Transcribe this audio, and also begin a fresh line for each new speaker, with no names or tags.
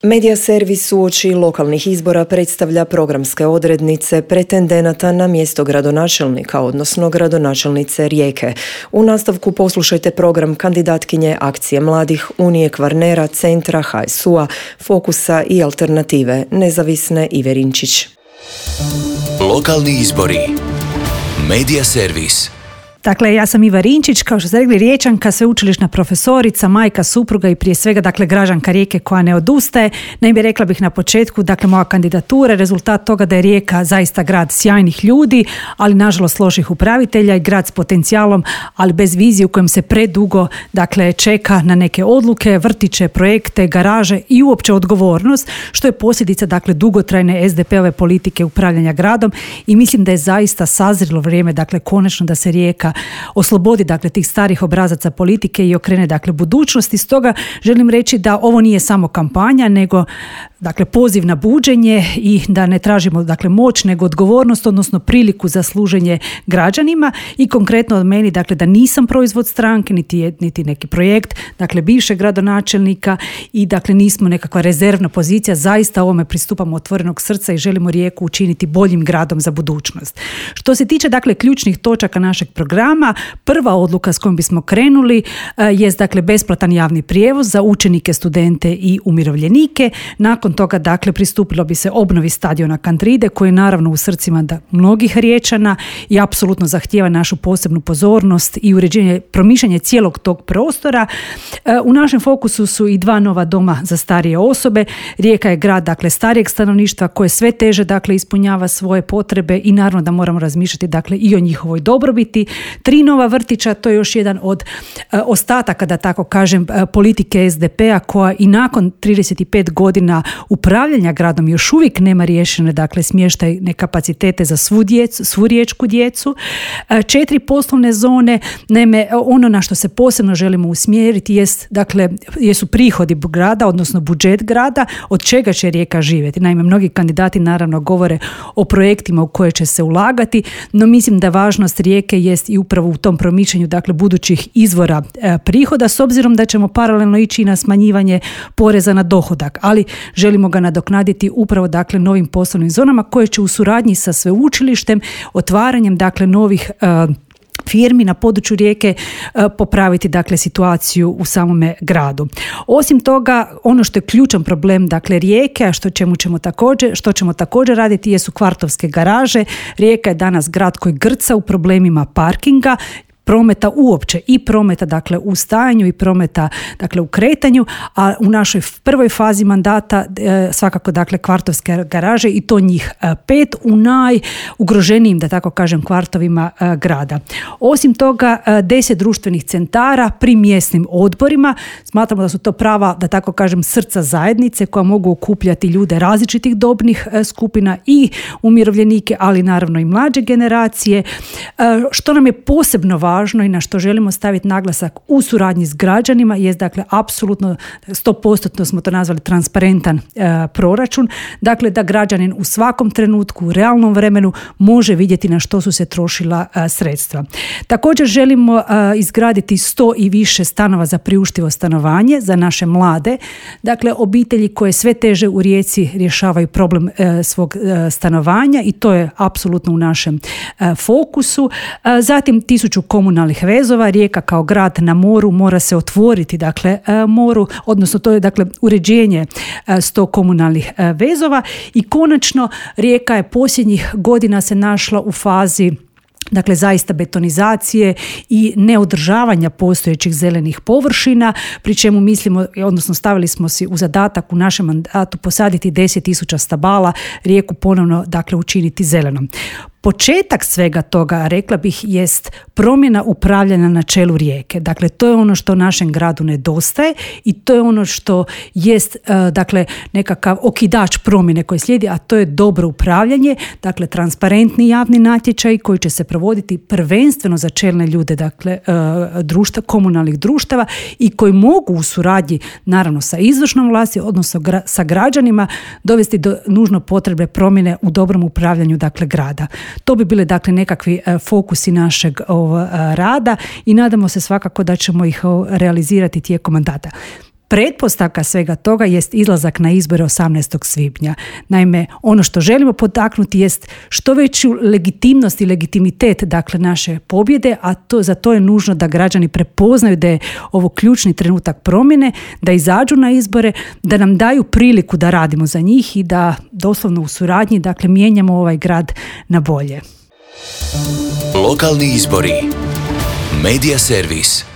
Medija servis uoči lokalnih izbora predstavlja programske odrednice pretendenata na mjesto gradonačelnika, odnosno gradonačelnice Rijeke. U nastavku poslušajte program kandidatkinje Akcije mladih, Unije Kvarnera, Centra, HSU-a, Fokusa i Alternative, nezavisne Ive Rinčić.
Lokalni izbori. Medija servis.
Dakle, ja sam Iva Rinčić, kao što ste rekli, Riječanka, sveučilišna profesorica, majka, supruga i prije svega, dakle, građanka Rijeke koja ne odustaje. Naime, rekla bih na početku, dakle, moja kandidatura, rezultat toga da je Rijeka zaista grad sjajnih ljudi, ali nažalost loših upravitelja i grad s potencijalom, ali bez vizije u kojem se predugo, dakle, čeka na neke odluke, vrtiće, projekte, garaže i uopće odgovornost, što je posljedica, dakle, dugotrajne SDP-ove politike upravljanja gradom i mislim da je zaista sazrelo vrijeme, dakle, konačno da se Rijeka oslobodi, dakle, tih starih obrazaca politike i okrene, dakle, budućnosti. Stoga želim reći da ovo nije samo kampanja, nego, dakle, poziv na buđenje i da ne tražimo, dakle, moć, nego odgovornost, odnosno priliku za služenje građanima i konkretno od meni, dakle, da nisam proizvod stranke, niti neki projekt, dakle, bivšeg gradonačelnika i, dakle, nismo nekakva rezervna pozicija, zaista ovome pristupamo otvorenog srca i želimo Rijeku učiniti boljim gradom za budućnost. Što se tiče, dakle, ključnih točaka našeg programa, prva odluka s kojom bismo krenuli jest, dakle, besplatan javni prijevoz za učenike, studente i umirovljenike. Nakon toga, dakle, pristupilo bi se obnovi stadiona Kantride, koji je naravno u srcima mnogih Riječana i apsolutno zahtijeva našu posebnu pozornost i uređenje, promišljanje cijelog tog prostora. U našem fokusu su i 2 nova doma za starije osobe. Rijeka je grad, dakle, starijeg stanovništva koje sve teže, dakle, ispunjava svoje potrebe i naravno da moramo razmišljati, dakle, i o njihovoj dobrobiti. 3 nova vrtića, to je još jedan od ostataka, da tako kažem, politike SDP-a koja i nakon 35 godina upravljanja gradom još uvijek nema riješene, dakle, smještajne kapacitete za svu riječku djecu. 4 poslovne zone. Naime, ono na što se posebno želimo usmjeriti jesu prihodi grada, odnosno budžet grada, od čega će Rijeka živjeti. Naime, mnogi kandidati naravno govore o projektima u koje će se ulagati, no mislim da važnost Rijeke jest i upravo u tom promišljanju, dakle, budućih izvora prihoda, s obzirom da ćemo paralelno ići na smanjivanje poreza na dohodak, ali želimo ga nadoknaditi upravo, dakle, novim poslovnim zonama koje će u suradnji sa sveučilištem, otvaranjem, dakle, novih firmi na području Rijeke popraviti, dakle, situaciju u samome gradu. Osim toga, ono što je ključan problem, dakle, Rijeke, a što ćemo također raditi jesu kvartovske garaže. Rijeka je danas grad koji grca u problemima parkinga, prometa uopće i prometa, dakle, u stajanju i prometa, dakle, u kretanju, a u našoj prvoj fazi mandata svakako, dakle, kvartovske garaže i to njih 5 u najugroženijim, da tako kažem, kvartovima grada. Osim toga, 10 društvenih centara pri mjesnim odborima. Smatramo da su to prava, da tako kažem, srca zajednice koja mogu okupljati ljude različitih dobnih skupina i umirovljenike, ali naravno i mlađe generacije. Što nam je posebno važno i na što želimo staviti naglasak u suradnji s građanima jest, dakle, apsolutno 100% smo to nazvali transparentan proračun, dakle, da građanin u svakom trenutku u realnom vremenu može vidjeti na što su se trošila sredstva. Također želimo izgraditi 100 i više stanova za priuštivo stanovanje za naše mlade, dakle, obitelji koje sve teže u Rijeci rješavaju problem svog stanovanja i to je apsolutno u našem fokusu. Zatim 1000 komunalnih vezova. Rijeka kao grad na moru mora se otvoriti, dakle, moru, odnosno to je, dakle, uređenje 100 komunalnih vezova i konačno Rijeka je posljednjih godina se našla u fazi, dakle, zaista betonizacije i neodržavanja postojećih zelenih površina, pri čemu mislimo, odnosno stavili smo si u zadatak u našem mandatu posaditi 10.000 stabala, Rijeku ponovno, dakle, učiniti zelenom. Početak svega toga, rekla bih, jest promjena upravljanja na čelu Rijeke. Dakle, to je ono što našem gradu nedostaje i to je ono što jest, dakle, nekakav okidač promjene koji slijedi, a to je dobro upravljanje, dakle, transparentni javni natječaj koji će se provoditi prvenstveno za čelne ljude, dakle, komunalnih društava i koji mogu u suradnji, naravno, sa izvršnom vlasti, odnosno sa građanima, dovesti do nužno potrebe promjene u dobrom upravljanju, dakle, grada. To bi bile, dakle, nekakvi fokusi našeg rada i nadamo se svakako da ćemo ih realizirati tijekom mandata. Pretpostavka svega toga jest izlazak na izbore 18. svibnja. Naime, ono što želimo potaknuti jest što veću legitimnost i legitimitet dakle naše pobjede, a za to je nužno da građani prepoznaju da je ovo ključni trenutak promjene, da izađu na izbore, da nam daju priliku da radimo za njih i da doslovno u suradnji dakle mijenjamo ovaj grad na bolje.
Lokalni izbori. Medija servis.